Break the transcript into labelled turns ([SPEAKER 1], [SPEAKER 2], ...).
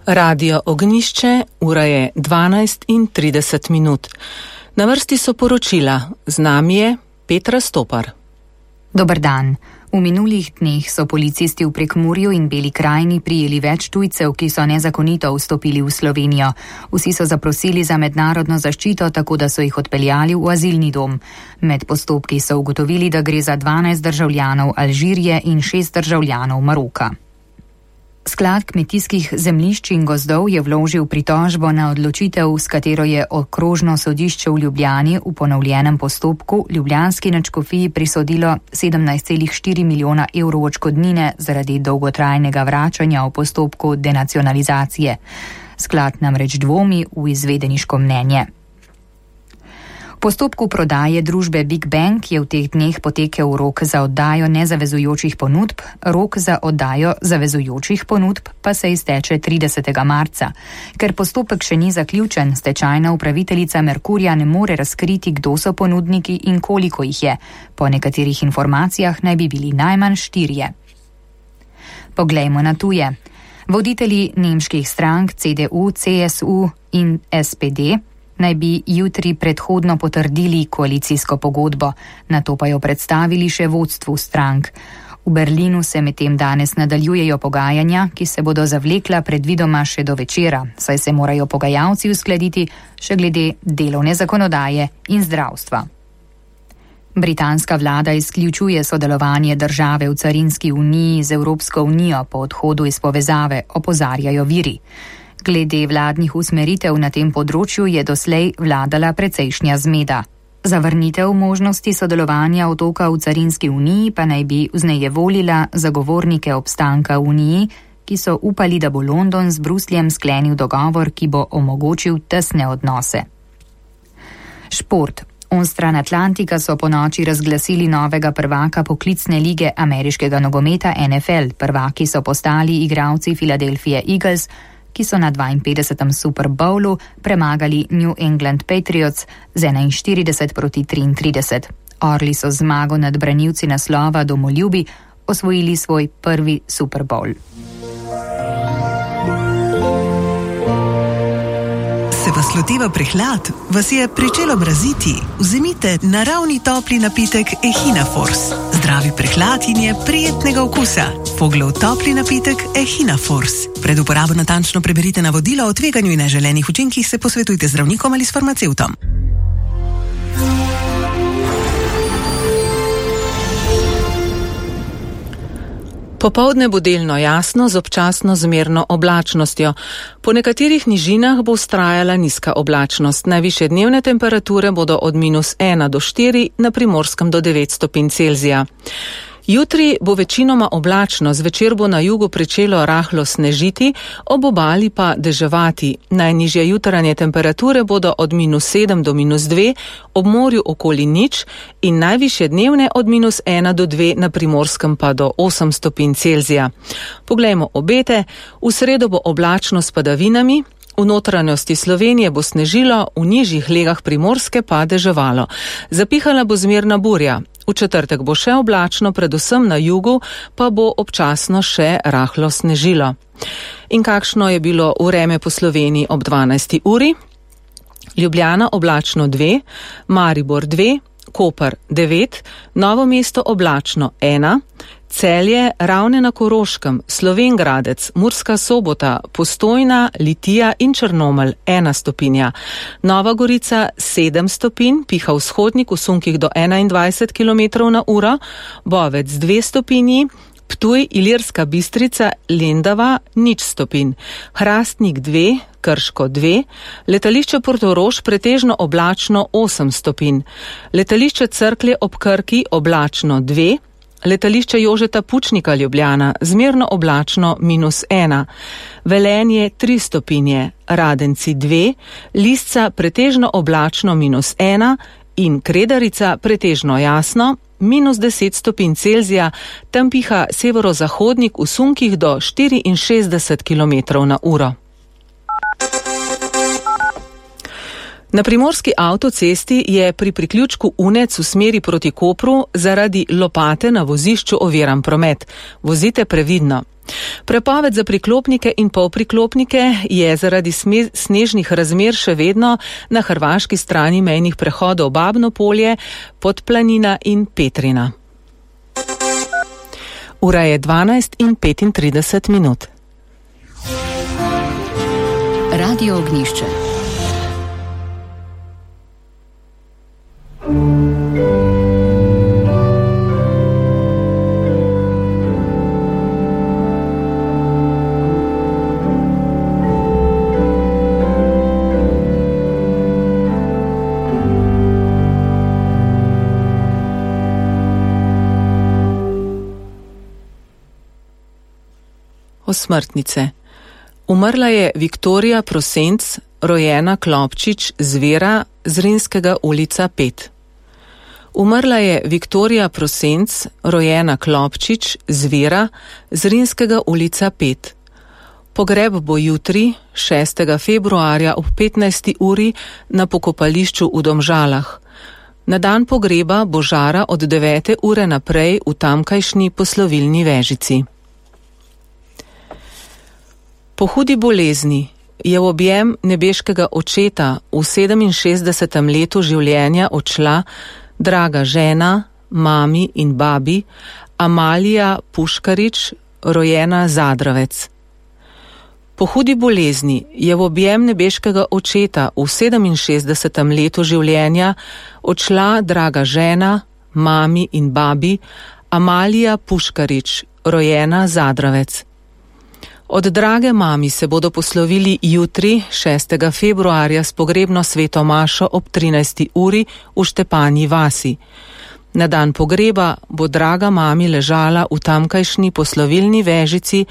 [SPEAKER 1] Radio Ognišče, ura je 12:30. Na vrsti so poročila, z nami je Petra Stopar.
[SPEAKER 2] Dober dan. V minulih dneh so policisti v Prekmurju in Beli krajini prijeli več tujcev, ki so nezakonito vstopili v Slovenijo. Vsi so zaprosili za mednarodno zaščito, tako da so jih odpeljali v azilni dom. Med postopki so ugotovili, da gre za 12 državljanov Alžirije in 6 državljanov Maroka. Sklad kmetijskih zemljišč in gozdov je vložil pritožbo na odločitev, s katero je okrožno sodišče v Ljubljani v ponovljenem postopku ljubljanski nadškofiji prisodilo 17,4 milijona evrov odškodnine zaradi dolgotrajnega vračanja v postopku denacionalizacije. Sklad namreč dvomi v izvedeniško mnenje. V postopku prodaje družbe Big Bang je v teh dneh potekel rok za oddajo nezavezujočih ponudb, rok za oddajo zavezujočih ponudb pa se izteče 30. marca. Ker postopek še ni zaključen, stečajna upraviteljica Merkurja ne more razkriti, kdo so ponudniki in koliko jih je. Po nekaterih informacijah naj bi bili najmanj 4. Poglejmo na tuje. Voditelji nemških strank CDU, CSU in SPD naj bi jutri predhodno potrdili koalicijsko pogodbo, nato pa jo predstavili še vodstvu strank. V Berlinu se medtem danes nadaljujejo pogajanja, ki se bodo zavlekla predvidoma še do večera, saj se morajo pogajalci uskladiti še glede delovne zakonodaje in zdravstva. Britanska vlada izključuje sodelovanje države v carinski uniji z Evropsko unijo po odhodu iz povezave, opozarjajo viri. Glede vladnih usmeritev na tem področju je doslej vladala precejšnja zmeda. Zavrnitev možnosti sodelovanja otoka v carinski uniji pa naj bi vznejevolila zagovornike obstanka v uniji, ki so upali, da bo London z Brusljem sklenil dogovor, ki bo omogočil tesne odnose. Šport. Onstran Atlantika so ponoči razglasili novega prvaka poklicne lige ameriškega nogometa NFL. Prvaki so postali igralci Philadelphia Eagles, ki so na 52. Super Bowlu premagali New England Patriots z 41-33. Orli so zmago nad branilci naslova domoljubi osvojili svoj prvi Super Bowl.
[SPEAKER 3] Se vas loteva prehlad? Vas je pričelo mraziti? Vzemite naravni topli napitek Echina Force. Zdravi prehlad in je prijetnega okusa. Poglov topli napitek Echina Force. Pred uporabo natančno preberite navodila o tveganju in neželenih učinkih, se posvetujte z zdravnikom ali s farmacevtom.
[SPEAKER 1] Popoldne bo delno jasno z občasno zmerno oblačnostjo. Po nekaterih nižinah bo vztrajala nizka oblačnost. Najvišje dnevne temperature bodo od -1 do 4, na Primorskem do 9 stopinj Celzija. Jutri bo večinoma oblačno, zvečer bo na jugu pričelo rahlo snežiti, ob obali pa deževati. Najnižje jutranje temperature bodo od -7 do -2, ob morju okoli 0 in najvišje dnevne od -1 do 2, na Primorskem pa do 8 stopinj Celzija. Poglejmo obete. V sredo bo oblačno s padavinami. V notranjosti Slovenije bo snežilo, v nižjih legah Primorske pa deževalo. Zapihala bo zmerna burja. V četrtek bo še oblačno, predvsem na jugu, pa bo občasno še rahlo snežilo. In kakšno je bilo vreme po Sloveniji ob 12. uri? Ljubljana oblačno 2, Maribor 2, Koper 9, Novo mesto oblačno 1, Celje, Ravne na Koroškem, Slovenj Gradec, Murska Sobota, Postojna, Litija in Črnomelj 1 stopinja. Nova Gorica 7 stopinj, piha vzhodnik v sunkih do 21 km/h, Bovec 2 stopinji, Ptuj, Ilirska Bistrica, Lendava 0 stopinj, Hrastnik 2, Krško 2, letališče Portorož pretežno oblačno 8 stopinj, letališče Cerklje ob Krki oblačno 2, letališče Jožeta Pučnika Ljubljana zmerno oblačno -1, Velenje 3 stopinje, Radenci 2, Lisca pretežno oblačno -1 in Kredarica pretežno jasno -10 stopinj Celzija, tam piha severozahodnik v sunkih do 64 km/h. Na primorski avtocesti je pri priključku Unec v smeri proti Kopru zaradi lopate na vozišču oviran promet. Vozite previdno. Prepoved za priklopnike in polpriklopnike je zaradi snežnih razmer še vedno na hrvaški strani mejnih prehodov Babno Polje, Podplanina in Petrina. Ura je 12:35.
[SPEAKER 2] Radio Ognjišče.
[SPEAKER 1] Osmrtnice. Umrla je Viktorija Prosenc, rojena Klopčič Zvera, Zrinskega ulica 5. Umrla je Viktorija Prosenc, rojena Klopčič Zvera, Zrinskega ulica 5. Pogreb bo jutri, 6. februarja ob 15. uri na pokopališču v Domžalah. Na dan pogreba bo žara od 9. ure naprej v tamkajšnji poslovilni vežici. Po hudi bolezni je v objem nebeškega očeta v 67. letu življenja odšla draga žena, mami in babi Amalija Puškarič, rojena Zadravec. Po hudi bolezni je v objem nebeškega očeta v 67. letu življenja odšla draga žena, mami in babi Amalija Puškarič, rojena Zadravec. Od drage mami se bodo poslovili jutri, 6. februarja, s pogrebno sveto mašo ob 13. uri v Štepanji vasi. Na dan pogreba bo draga mami ležala v tamkajšnji poslovilni vežici